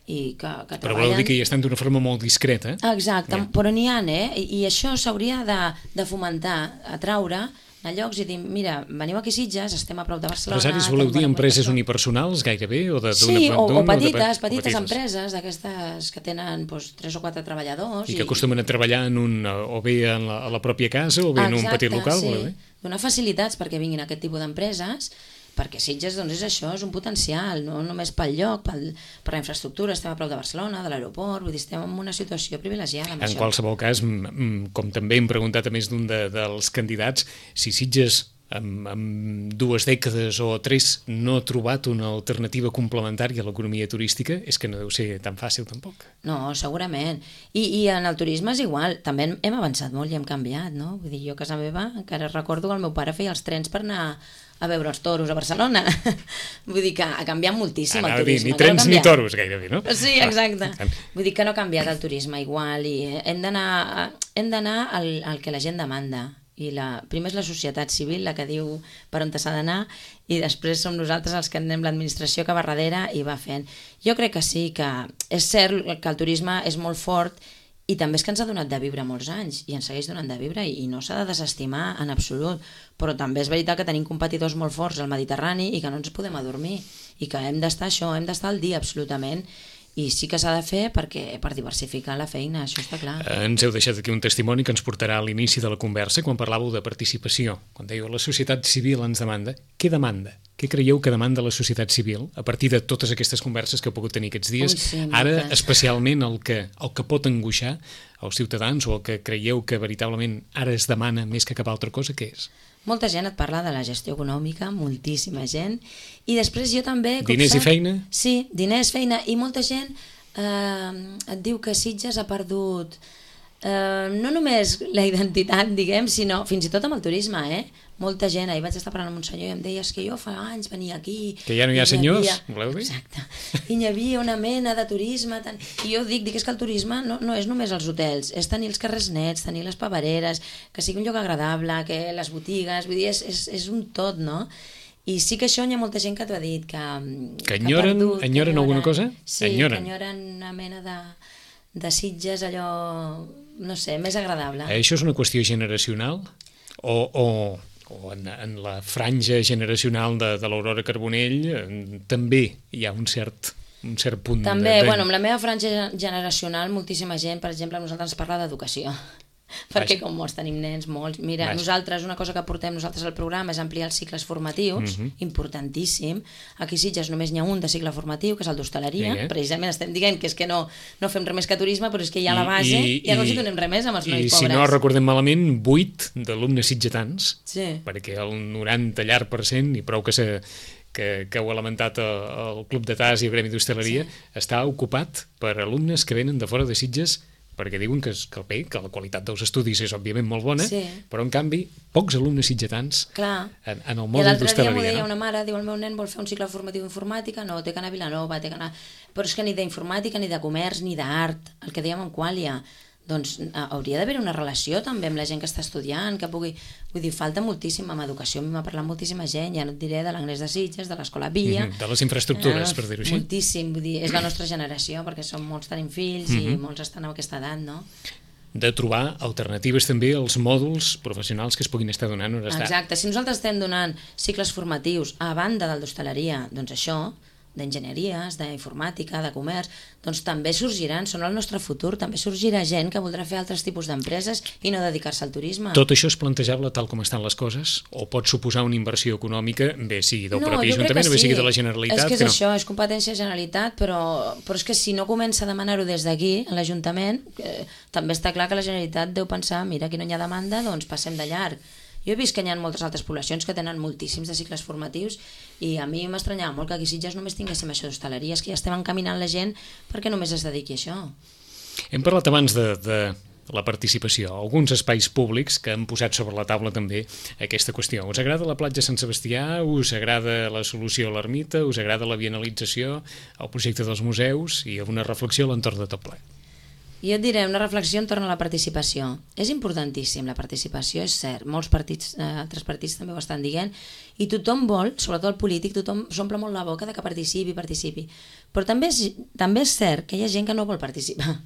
I que treballen... Però vol dir que hi estan d'una forma molt discreta. Exacte, però n'hi ha, i això s'hauria de fomentar, atraure a llocs i dir, mira, veniu aquí a Sitges, estem a prop de Barcelona... Empresaris voleu dir empreses unipersonals gairebé? Sí, o petites empreses d'aquestes que tenen 3 o 4 treballadors. I que acostumen a treballar o bé a la pròpia casa o bé en un petit local. Exacte, sí. Donar facilitats perquè vinguin aquest tipus d'empreses, perquè Sitges doncs, és això, és un potencial, no només pel lloc, per la infraestructura, estem a prop de Barcelona, de l'aeroport, vull dir, estem en una situació privilegiada amb això. En qualsevol cas, com també hem preguntat a més d'un dels candidats, si Sitges en 2 dècades o 3 no ha trobat una alternativa complementària a l'economia turística, és que no deu ser tan fàcil tampoc. No, segurament. I en el turisme és igual, també hem avançat molt i hem canviat, no? Vull dir, jo a casa meva encara recordo que el meu pare feia els trens per anar a veure els toros a Barcelona. Vull dir que ha canviat moltíssim el turisme. Ni trens ni toros gairebé, no? Sí, exacte. Vull dir que no ha canviat el turisme igual i hem d'anar al que la gent demanda. I primer és la societat civil la que diu per on s'ha d'anar i després som nosaltres els que anem l'administració que va darrere i va fent. Jo crec que sí, que és cert que el turisme és molt fort i també és que ens ha donat de viure molts anys i ens segueix donant de viure i no s'ha de desestimar en absolut, però també és veritat que tenim competidors molt forts al Mediterrani i que no ens podem adormir i que hem d'estar al dia absolutament. I sí que s'ha de fer per diversificar la feina, això està clar. Ens heu deixat aquí un testimoni que ens portarà a l'inici de la conversa, quan parlàveu de participació, quan dèieu la societat civil ens demanda. Què demanda? Què creieu que demanda la societat civil a partir de totes aquestes converses que heu pogut tenir aquests dies? Ara, especialment el que pot angoixar als ciutadans o el que creieu que veritablement ara es demana més que cap altra cosa, què és? Molta gent et parla de la gestió econòmica, moltíssima gent, i després jo també... Diners i feina? Sí, diners, feina, i molta gent et diu que Sitges ha perdut no només la identitat, diguem, sinó fins i tot amb el turisme, Molta gent, ahir vaig estar parlant amb un senyor i em deia que jo fa anys venia aquí... Que ja no hi ha senyors, voleu dir? Exacte. I hi havia una mena de turisme... I jo dic que el turisme no és només els hotels, és tenir els carrers nets, tenir les papereres, que sigui un lloc agradable, que les botigues... Vull dir, és un tot, no? I sí que això hi ha molta gent que t'ho ha dit, que enyoren alguna cosa? Sí, que enyoren una mena de Sitges, allò, no sé, més agradable. Això és una qüestió generacional? O en la franja generacional de l'Aurora Carbonell també hi ha un cert punt... També, amb la meva franja generacional moltíssima gent, per exemple, a nosaltres ens parla d'educació. perquè com molts tenim nens, molts... Mira, nosaltres, una cosa que portem nosaltres al programa és ampliar els cicles formatius, importantíssim. Aquí a Sitges només n'hi ha un de cicle formatiu, que és el d'hostaleria. Precisament estem dient que és que no fem res més que turisme, però és que hi ha la base i ja no els hi donem res més amb els nois pobres. I si no recordem malament, 8 d'alumnes sitgetans, perquè el 90 llarg per cent, i prou que heu lamentat el Club de Tas i el Gremi d'Hostaleria, està ocupat per alumnes que venen de fora de Sitges, perquè diuen que la qualitat dels estudis és òbviament molt bona, però en canvi pocs alumnes sitgetans en el món d'hostaleria. I l'altre dia m'ho deia una mare, diu, el meu nen vol fer un cicle formatiu d'informàtica, no, té que anar a Vilanova, però és que ni d'informàtica, ni de comerç, ni d'art, el que dèiem en Quàlia, doncs hauria d'haver una relació també amb la gent que està estudiant, que pugui... Vull dir, falta moltíssim, amb educació m'ha parlat moltíssima gent, ja no et diré de l'Agnès de Sitges, de l'Escola Villa... De les infraestructures, per dir-ho així. Moltíssim, vull dir, és la nostra generació, perquè som molts tenim fills i molts estan en aquesta edat, no? De trobar alternatives també als mòduls professionals que es puguin estar donant on està. Exacte, si nosaltres estem donant cicles formatius a banda del d'hostaleria, doncs això, d'enginyeries, d'informàtica, de comerç, doncs també sorgiran, són el nostre futur, també sorgirà gent que voldrà fer altres tipus d'empreses i no dedicar-se al turisme. Tot això és plantejable tal com estan les coses? O pot suposar una inversió econòmica, bé sigui del propi Ajuntament, bé sigui de la Generalitat? És que és això, és competència de Generalitat, però és que si no comença a demanar-ho des d'aquí, a l'Ajuntament, també està clar que la Generalitat deu pensar, mira, aquí no hi ha demanda, doncs passem de llarg. Jo he vist que hi ha moltes altres poblacions que tenen moltíssims de cicles formatius i a mi m'estranyava molt que aquí a Sitges només tinguéssim això d'hostaleria, és que ja estem encaminant la gent perquè només es dediqui a això. Hem parlat abans de la participació, alguns espais públics que han posat sobre la taula també aquesta qüestió. Us agrada la platja Sant Sebastià? Us agrada la solució a l'ermita? Us agrada la bienalització? El projecte dels museus? I una reflexió a l'entorn de tot ple. Jo et diré una reflexió entorn a la participació. És importantíssim la participació, és cert. Molts partits, altres partits també ho estan dient, i tothom vol, sobretot el polític, tothom s'omple molt la boca de que participi. Però també és cert que hi ha gent que no vol participar.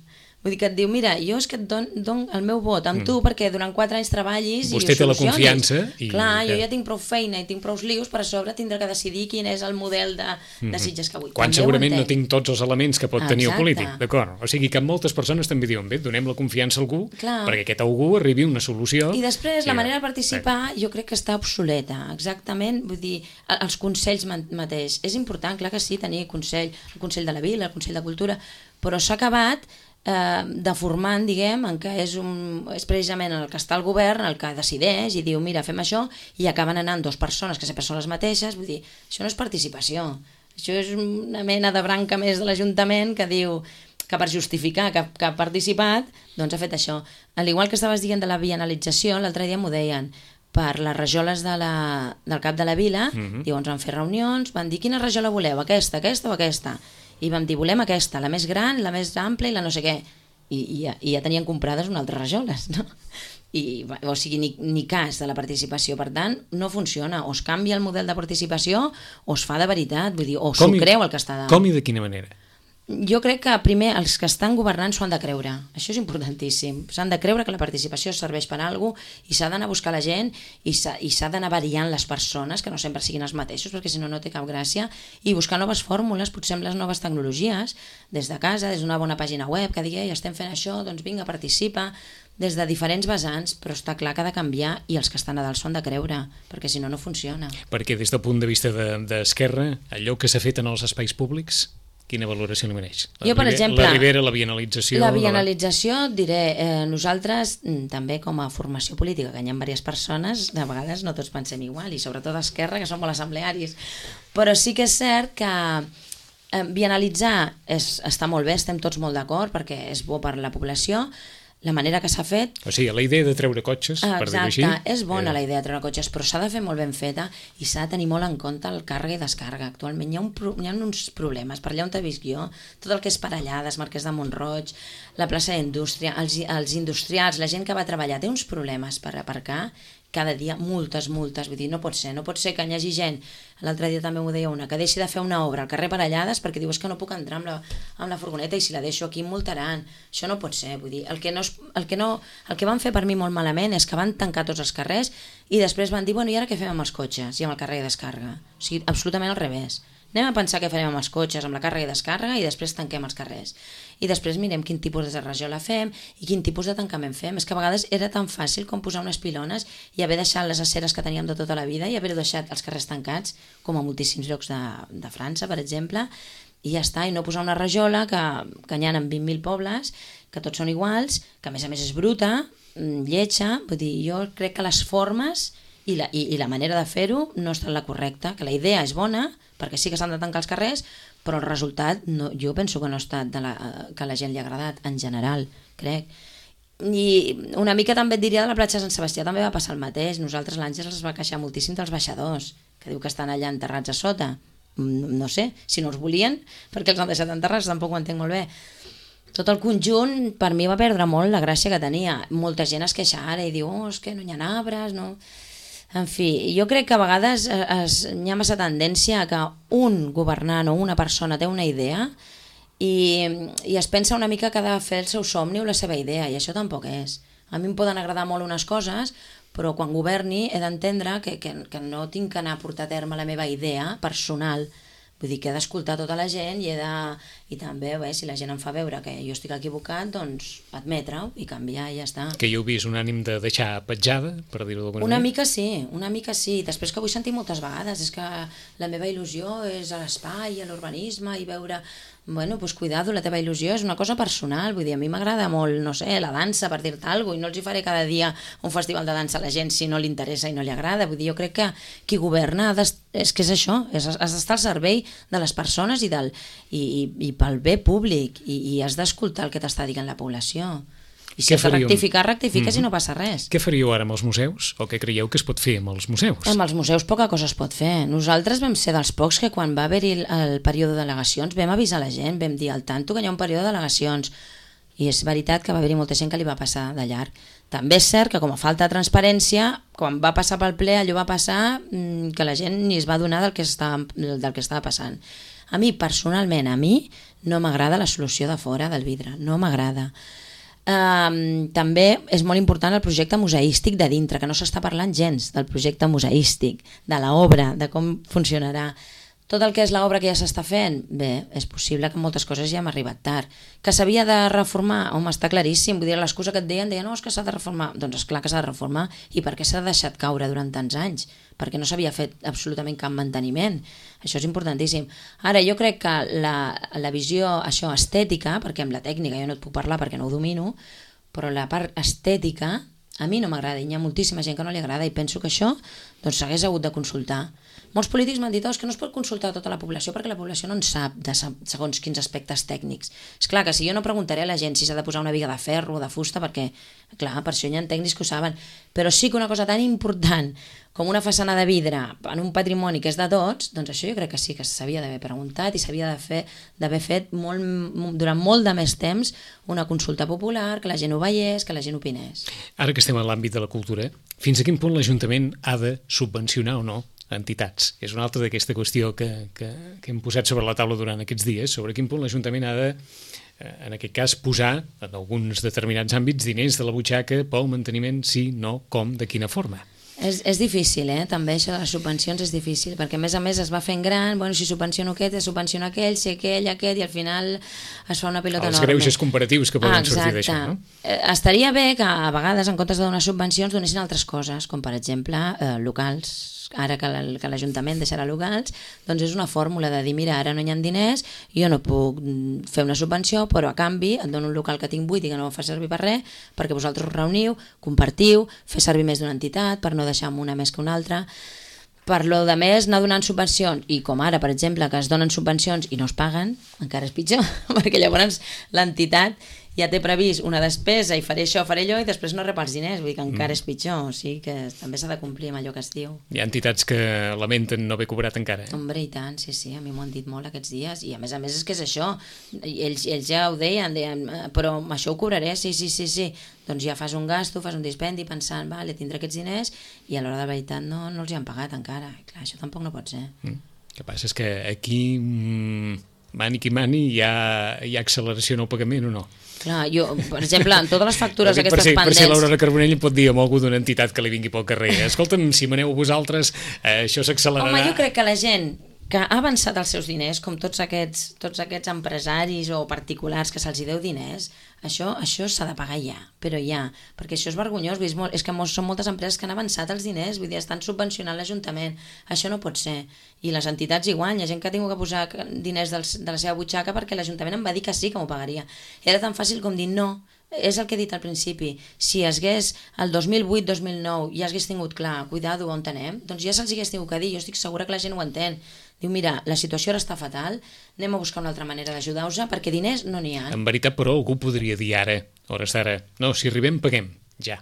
Vull dir que et diu, mira, jo és que et dono el meu vot amb tu perquè durant 4 anys treballis i ho solucionis. Vostè té la confiança. Clar, jo ja tinc prou feina i tinc prou lius, per a sobre tindré que decidir quin és el model de Sitges que vull. Quan segurament no tinc tots els elements que pot tenir el polític, d'acord? O sigui que moltes persones també diuen, bé, donem la confiança a algú perquè aquest algú arribi a una solució. I després la manera de participar jo crec que està obsoleta, exactament, vull dir, els consells mateix. És important, clar que sí, tenir el Consell de la Vila, el Consell de Cultura, però s'ha acabat deformant, diguem, en què és precisament el que està al govern el que decideix i diu, mira, fem això, i acaben anant 2 persones que sempre són les mateixes. Vull dir, això no és participació, això és una mena de branca més de l'Ajuntament que diu que per justificar que ha participat, doncs ha fet això. Al igual que estaves dient de la bienalització, l'altre dia m'ho deien, per les rajoles del cap de la vila, diuen, van fer reunions, van dir, quina rajola voleu, aquesta o aquesta? I vam dir, volem aquesta, la més gran, la més ampla i la no sé què. I ja tenien comprades unes altres rajoles, no? O sigui, ni cas de la participació. Per tant, no funciona. O es canvia el model de participació o es fa de veritat, vull dir, o s'ho creu el que està dalt. Com i de quina manera? Jo crec que primer els que estan governant s'ho han de creure. Això és importantíssim. S'han de creure que la participació serveix per a alguna cosa i s'ha d'anar a buscar la gent i s'ha d'anar variant les persones, que no sempre siguin els mateixos, perquè si no, no té cap gràcia, i buscar noves fórmules, potser amb les noves tecnologies, des de casa, des d'una bona pàgina web, que digui, estem fent això, doncs vinga, participa, des de diferents vessants, però està clar que ha de canviar i els que estan a dalt s'ho han de creure, perquè si no, no funciona. Perquè des del punt de vista d'Esquerra, allò que s'ha fet en els espais públics, quina valoració li mereix? Jo, per exemple, la Ribera, la bienalització... La bienalització, diré, nosaltres també com a formació política, que hi ha diverses persones, de vegades no tots pensem igual, i sobretot d'Esquerra, que som molt assemblearis, però sí que és cert que bienalitzar està molt bé, estem tots molt d'acord, perquè és bo per la població, la manera que s'ha fet... O sigui, la idea de treure cotxes, per dir-ho així... Exacte, és bona la idea de treure cotxes, però s'ha de fer molt ben feta i s'ha de tenir molt en compte el càrrega i descàrrega. Actualment hi ha uns problemes, per allà on t'he vist jo, tot el que és Parellades, Marquès de Mont-roig, la plaça d'Indústria, els industrials, la gent que va treballar, té uns problemes per aparcar, cada dia multes, vull dir, no pot ser que hi hagi gent, l'altre dia també m'ho deia una, que deixi de fer una obra al carrer Parellades perquè diu, és que no puc entrar amb la furgoneta i si la deixo aquí em multaran, això no pot ser, vull dir, el que van fer per mi molt malament és que van tancar tots els carrers i després van dir, bueno, i ara què fem amb els cotxes i amb el càrrega i descàrrega? O sigui, absolutament al revés. Anem a pensar què farem amb els cotxes, amb la càrrega i descàrrega, i després tanquem els carrers. I després mirem quin tipus de rajola fem i quin tipus de tancament fem. És que a vegades era tan fàcil com posar unes pilones i haver deixat les aceres que teníem de tota la vida i haver deixat els carrers tancats, com a moltíssims llocs de França, per exemple, i ja està, i no posar una rajola que n'hi ha en 20.000 pobles, que tots són iguals, que a més és bruta, lletja. Vull dir, jo crec que les formes i la manera de fer-ho no està la correcta, que la idea és bona, perquè sí que s'han de tancar els carrers, però el resultat jo penso que no ha estat que a la gent li ha agradat, en general, crec. I una mica també et diria de la platja de Sant Sebastià també va passar el mateix. Nosaltres l'Àngels es va queixar moltíssim dels baixadors, que diu que estan allà enterrats a sota. No sé, si no els volien, perquè els han deixat enterrats, tampoc ho entenc molt bé. Tot el conjunt, per mi, va perdre molt la gràcia que tenia. Molta gent es queixa ara i diu, és que no hi ha arbres, no... En fi, jo crec que a vegades hi ha massa tendència a que un governant o una persona té una idea i es pensa una mica que ha de fer el seu somni o la seva idea, i això tampoc és. A mi em poden agradar molt unes coses, però quan governi he d'entendre que no tinc que anar a portar a terme la meva idea personal. Vull dir que he d'escoltar tota la gent i també, si la gent em fa veure que jo estic equivocat, doncs admetre-ho i canviar i ja està. Que jo he vist un ànim de deixar petjada, per dir-ho d'alguna manera? Una mica sí. Després que vull sentir moltes vegades, és que la meva il·lusió és a l'espai, a l'urbanisme, i veure... Bueno, doncs cuidado, la teva il·lusió és una cosa personal, vull dir, a mi m'agrada molt, no sé, la dansa, per dir-te alguna cosa, i no els hi faré cada dia un festival de dansa a la gent si no li interessa i no li agrada. Vull dir, jo crec que qui governa és que és això, has d'estar al servei de les persones i pel bé públic, i has d'escoltar el que t'està dient la població. I si has de rectifiques i no passa res. Què faríeu ara amb els museus? O què creieu que es pot fer amb els museus? Amb els museus poca cosa es pot fer. Nosaltres vam ser dels pocs que quan va haver-hi el període de delegacions vam avisar la gent, vam dir al tanto que hi ha un període de delegacions. I és veritat que va haver-hi molta gent que li va passar de llarg. També és cert que com a falta de transparència, quan va passar pel ple allò va passar que la gent ni es va adonar del que estava passant. A mi, personalment, no m'agrada la solució de fora del vidre, no m'agrada. També és molt important el projecte museístic de dintre, que no s'està parlant gens del projecte museístic, de l'obra, de com funcionarà. Tot el que és l'obra que ja s'està fent, bé, és possible que moltes coses ja hem arribat tard. Que s'havia de reformar, home, està claríssim. Vull dir, l'excusa que et deien, no, és que s'ha de reformar. Doncs és clar que s'ha de reformar. I per què s'ha deixat caure durant tants anys? Perquè no s'havia fet absolutament cap manteniment. Això és importantíssim. Ara, jo crec que la visió estètica, perquè amb la tècnica jo no et puc parlar perquè no ho domino, però la part estètica a mi no m'agrada, i hi ha moltíssima gent que no li agrada, i penso que això s'hagués hagut de consultar. Molts polítics m'han dit que no es pot consultar a tota la població perquè la població no en sap de segons quins aspectes tècnics. És clar que si jo no preguntaré a la gent si s'ha de posar una viga de ferro o de fusta, perquè, clar, per això hi ha tècnics que ho saben, però sí que una cosa tan important com una façana de vidre en un patrimoni que és de tots, doncs això jo crec que sí que s'havia d'haver preguntat i s'havia d'haver fet durant molt de més temps una consulta popular, que la gent ho veiés, que la gent opinés. Ara que estem en l'àmbit de la cultura, fins a quin punt l'Ajuntament ha de subvencionar o no entitats? És una altra d'aquesta qüestió que hem posat sobre la taula durant aquests dies, sobre quin punt l'Ajuntament ha de, en aquest cas, posar en alguns determinats àmbits diners de la butxaca pel manteniment, sí, no, com, de quina forma. És difícil, també això de les subvencions és difícil, perquè a més es va fent gran, si subvenciono aquest, subvenciono aquell, si aquell, aquest, i al final es fa una pilota enorme. Els greuges comparatius que poden sortir d'això, no? Estaria bé que a vegades, en comptes de donar subvencions, donessin altres coses, com per exemple locals. Ara que l'Ajuntament deixarà locals, doncs és una fórmula de dir, mira, ara no hi ha diners, jo no puc fer una subvenció, però a canvi et dono un local que tinc buit i que no ho fa servir per res, perquè vosaltres us reuniu, compartiu, fer servir més d'una entitat, per no deixar una més que una altra. Per lo de més, anar donant subvencions, i com ara, per exemple, que es donen subvencions i no es paguen, encara és pitjor, perquè llavors l'entitat ja té previst una despesa i faré això, faré allò, i després no rep els diners, vull dir que encara és pitjor, o sigui que també s'ha de complir amb allò que es diu. Hi ha entitats que lamenten no haver cobrat encara. Hombre, i tant, sí, a mi m'ho han dit molt aquests dies, i a més és que és això, ells ja ho deien, però això ho cobraré, sí, doncs ja fas un gasto, fas un dispendi pensant, vale, tindré aquests diners, i a l'hora de la veritat no els hi han pagat encara. Clar, això tampoc no pot ser. El que passa és que aquí, mani qui mani, hi ha acceleració en el pagament o no? Clar, jo, per exemple, en totes les factures aquestes pendents... Per si l'Aurora Carbonell pot dir a algú d'una entitat que li vingui pel carrer, escolta'm, si maneu vosaltres, això s'accelerarà... Home, jo crec que la gent que ha avançat els seus diners, com tots aquests empresaris o particulars que se'ls deu diners, això s'ha de pagar ja, però ja, perquè això és vergonyós, és que són moltes empreses que han avançat els diners, vull dir, estan subvencionant l'Ajuntament, això no pot ser, i les entitats igual, hi ha gent que ha tingut que posar diners de la seva butxaca perquè l'Ajuntament em va dir que sí que m'ho pagaria, i era tan fàcil com dir no. És el que he dit al principi, si hagués el 2008-2009 ja hagués tingut clar, cuidado, on anem, doncs ja se'ls hagués tingut que dir, jo estic segura que la gent ho entén. Diu, mira, la situació ara està fatal, anem a buscar una altra manera d'ajudar-vos perquè diners no n'hi ha. En veritat, però, algú podria dir ara, hores d'ara, no, si arribem, paguem, ja.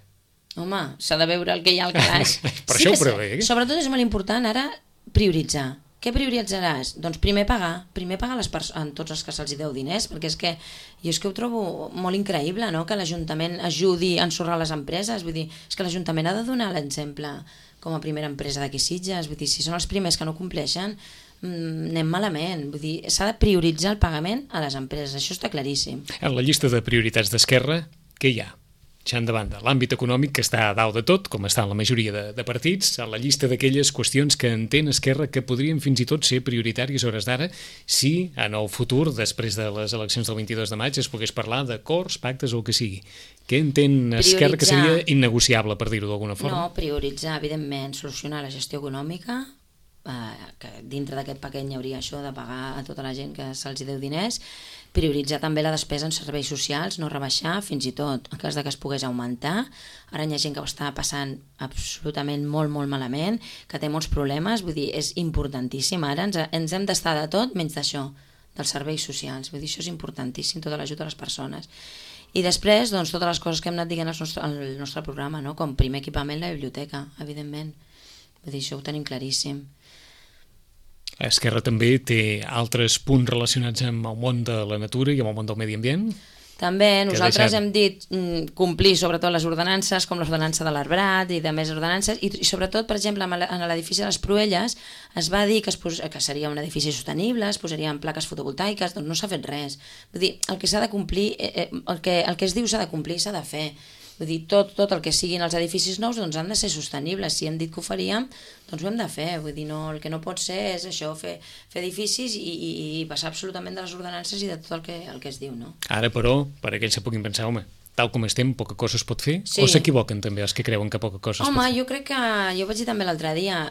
Home, s'ha de veure el que hi ha al calaix. Per això ho prevé. Sobretot és molt important ara prioritzar. Què prioritzaràs? Doncs primer pagar en tots els que se'ls deu diners, perquè és que ho trobo molt increïble, no?, que l'Ajuntament ajudi a ensorrar les empreses, vull dir, és que l'Ajuntament ha de donar l'exemple com a primera empresa d'aquí Sitges, vull dir, si són els primers que no compleixen, anem malament, vull dir, s'ha de prioritzar el pagament a les empreses, això està claríssim. En la llista de prioritats d'Esquerra, què hi ha? Deixant de banda l'àmbit econòmic, que està a dalt de tot, com està en la majoria de partits, a la llista d'aquelles qüestions que entén Esquerra que podrien fins i tot ser prioritàries a hores d'ara si en el futur, després de les eleccions del 22 de maig, es pogués parlar d'acords, pactes o el que sigui. Què entén Esquerra que seria innegociable, per dir-ho d'alguna forma? No, prioritzar, evidentment, solucionar la gestió econòmica, que dintre d'aquest paquet hi hauria això de pagar a tota la gent que se'ls deu diners, prioritzar també la despesa en serveis socials, no rebaixar, fins i tot en cas de que es pogués augmentar. Ara hi ha gent que ho està passant absolutament molt, molt malament, que té molts problemes, vull dir, és importantíssim. Ara ens hem d'estar de tot menys d'això, dels serveis socials. Vull dir, això és importantíssim, tota l'ajut a les persones. I després, doncs, totes les coses que hem anat dient al nostre programa, no?, com primer equipament la biblioteca, evidentment. Vull dir, això ho tenim claríssim. Esquerra també té altres punts relacionats amb el món de la natura i amb el món del medi ambient? També, nosaltres hem dit complir sobretot les ordenances, com l'ordenança de l'arbrat i de més ordenances, i sobretot, per exemple, en l'edifici de les Proelles es va dir que seria un edifici sostenible, es posarien plaques fotovoltaiques, doncs no s'ha fet res. Vull dir, el que s'ha de complir, el que es diu s'ha de complir, s'ha de fer. Vull dir, tot el que siguin els edificis nous doncs han de ser sostenibles. Si hem dit que ho faríem, doncs ho hem de fer. Vull dir, no, el que no pot ser és això, fer edificis i passar absolutament de les ordenances i de tot el que es diu, no? Ara, però, per aquells que puguin pensar, home, tal com estem, poca cosa es pot fer? Sí. O s'equivoquen també els que creuen que poca cosa es pot fer? Home, jo crec que, jo ho vaig dir també l'altre dia,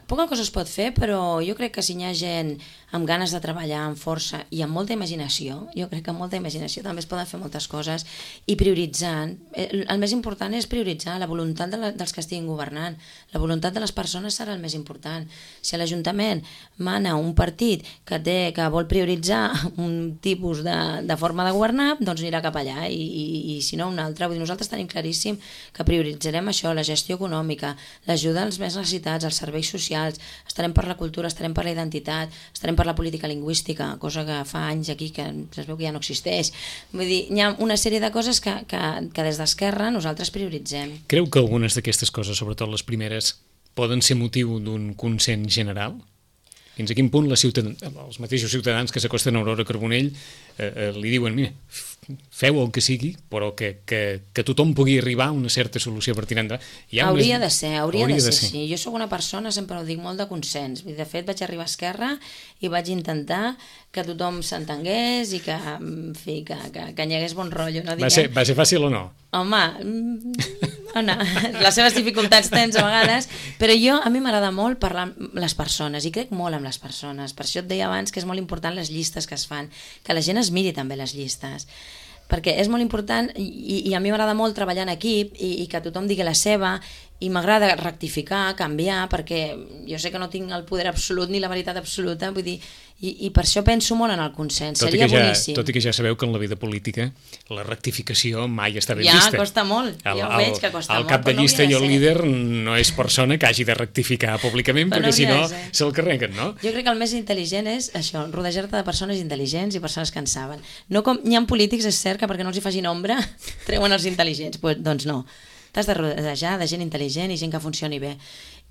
poca cosa es pot fer, però jo crec que si hi ha gent amb ganes de treballar, amb força i amb molta imaginació, jo crec que amb molta imaginació també es poden fer moltes coses, i prioritzant, el més important és prioritzar la voluntat dels que estiguin governant, la voluntat de les persones serà el més important. Si a l'Ajuntament mana un partit que vol prioritzar un tipus de forma de governar, doncs anirà cap allà, i si no un altre. Vull dir, nosaltres tenim claríssim que prioritzarem això, la gestió econòmica, l'ajuda als més necessitats, els serveis socials, estarem per la cultura, estarem per la identitat, estarem per la política lingüística, cosa que fa anys aquí que es veu que ja no existeix. Vull dir, hi ha una sèrie de coses que des d'Esquerra nosaltres prioritzem. Creu que algunes d'aquestes coses, sobretot les primeres, poden ser motiu d'un consens general? Fins a quin punt els mateixos ciutadans que s'acosten a Aurora Carbonell li diuen, mira, feu el que sigui, però que tothom pugui arribar a una certa solució per tirar endavant. Hauria de ser, sí. Jo sóc una persona, sempre ho dic, molt de consens. De fet, vaig arribar a Esquerra i vaig intentar que tothom s'entengués i que, en fi, que hi hagués bon rotllo. No? Va ser fàcil o no? Home, les seves dificultats tens a vegades, però a mi m'agrada molt parlar amb les persones i crec molt amb les persones. Per això et deia abans que és molt important les llistes que es fan, que la gent es miri també les llistes, perquè és molt important i a mi m'agrada molt treballar en equip i que tothom digui la seva, i m'agrada rectificar, canviar, perquè jo sé que no tinc el poder absolut ni la veritat absoluta, vull dir, i per això penso molt en el consens, seria boníssim. Tot i que ja sabeu que en la vida política la rectificació mai està ben vista. Ja, costa molt, jo veig que costa molt. El cap de llista i el líder no és persona que hagi de rectificar públicament, perquè si no se'l carreguen, no? Jo crec que el més intel·ligent és això, rodejar-te de persones intel·ligents i persones que en saben. No com hi ha polítics, és cert que perquè no els hi facin ombra treuen els intel·ligents, doncs no. T'has de rodejar de gent intel·ligent i gent que funcioni bé.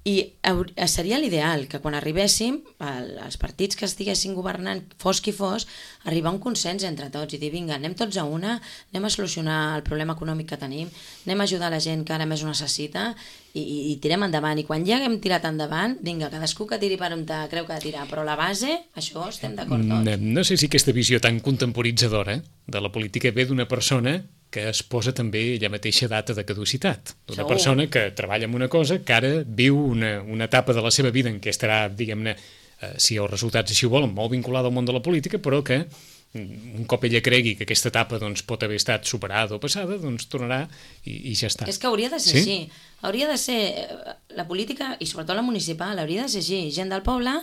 I seria l'ideal que quan arribéssim, els partits que estiguessin governant, fos qui fos, arribar a un consens entre tots i dir, vinga, anem tots a una, anem a solucionar el problema econòmic que tenim, anem a ajudar la gent que ara més ho necessita i tirem endavant. I quan ja haguem tirat endavant, vinga, cadascú que tiri per on creu que ha de tirar, però la base, això estem d'acord tots. No sé si aquesta visió tan contemporitzadora de la política ve d'una persona que es posa també ella mateixa data de caducitat. D'una persona que treballa en una cosa, que ara viu una etapa de la seva vida en què estarà, diguem-ne, si els resultats així ho volen, molt vinculada al món de la política, però que un cop ella cregui que aquesta etapa doncs, pot haver estat superada o passada, doncs tornarà i ja està. És que hauria de ser així. Hauria de ser la política, i sobretot la municipal, hauria de ser així. Gent del poble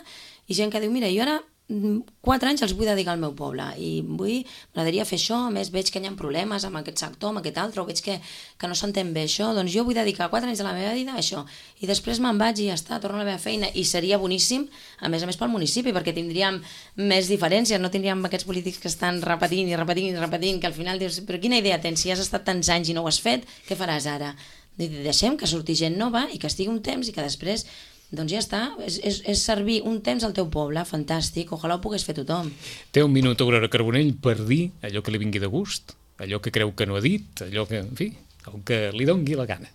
i gent que diu, mira, jo ara 4 anys els vull dedicar al meu poble i m'agradaria fer això, a més veig que hi ha problemes amb aquest sector, amb aquest altre, o veig que no s'entén bé això, doncs jo vull dedicar 4 anys de la meva vida a això, i després me'n vaig i ja està, torno a la meva feina, i seria boníssim, a més pel municipi, perquè tindríem més diferències, no tindríem aquests polítics que estan repetint, que al final dius, però quina idea tens, si has estat tants anys i no ho has fet, què faràs ara? Deixem que surti gent nova i que estigui un temps i que després doncs ja està, és servir un temps al teu poble, fantàstic, ojalà ho pogués fer tothom. Té un minut, Aurora Carbonell, per dir allò que li vingui de gust, allò que creu que no ha dit, allò que, en fi, el que li dongui la gana.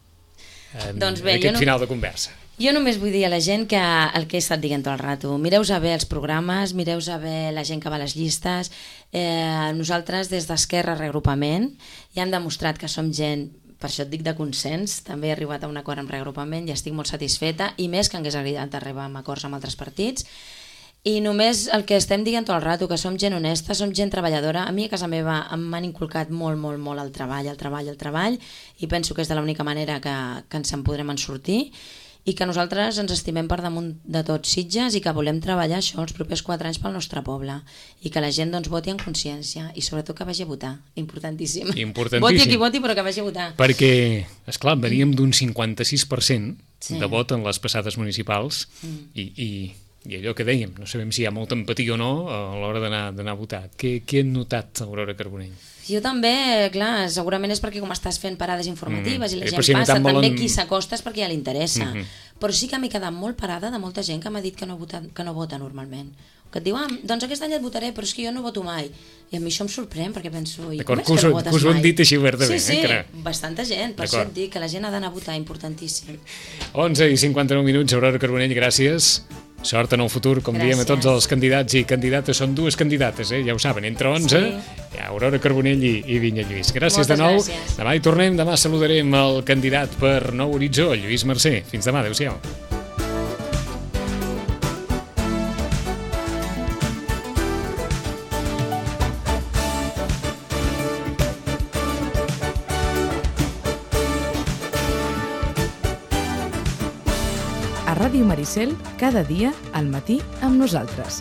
Doncs bé, aquest final de conversa. Jo només vull dir a la gent que el que he estat dient tot el rato, mireu-se bé els programes, mireu-se bé la gent que va a les llistes, nosaltres des d'Esquerra Reagrupament ja hem demostrat que som gent, per això et dic de consens, també he arribat a un acord amb Reagrupament i estic molt satisfeta, i més que hagués agradat arribar a acords amb altres partits. I només el que estem dient tot el rato, que som gent honesta, som gent treballadora. A mi a casa meva m'han inculcat molt el treball, i penso que és de l'única manera que ens en podrem en sortir, i que nosaltres ens estimem per damunt de tot Sitges i que volem treballar això els propers 4 anys pel nostre poble, i que la gent doncs voti en consciència i sobretot que vagi a votar, importantíssim. Voti a qui voti, però que vagi a votar. Perquè, esclar, veníem d'un 56% de vot en les passades municipals i allò que dèiem, no sabem si hi ha molta empatia o no a l'hora d'anar a votar. Què han notat, Aurora Carbonell? Jo també, clar, segurament és perquè com estàs fent parades informatives i la gent passa, també qui s'acosta és perquè ja li interessa. Però sí que m'he quedat molt parada de molta gent que m'ha dit que no vota normalment. Que et diu, doncs aquest any et votaré, però és que jo no voto mai. I a mi això em sorprèn, perquè penso, i com és que no votes mai? Que us ho hem dit així obertament. Sí, bastanta gent, per això et dic que la gent ha d'anar a votar, importantíssim. 11:59, Aurora Carbonell, gràcies. Sort en el futur, com diem a tots els candidats i candidates. Són 2 candidates, ja ho saben, entre 11, Aurora Carbonell i Vinya Lluís. Gràcies de nou. Demà hi tornem, demà saludarem el candidat per Nou Horitzó, Lluís Mercè. Fins demà, adéu-siau. A Ràdio Maricel, cada dia al matí amb nosaltres.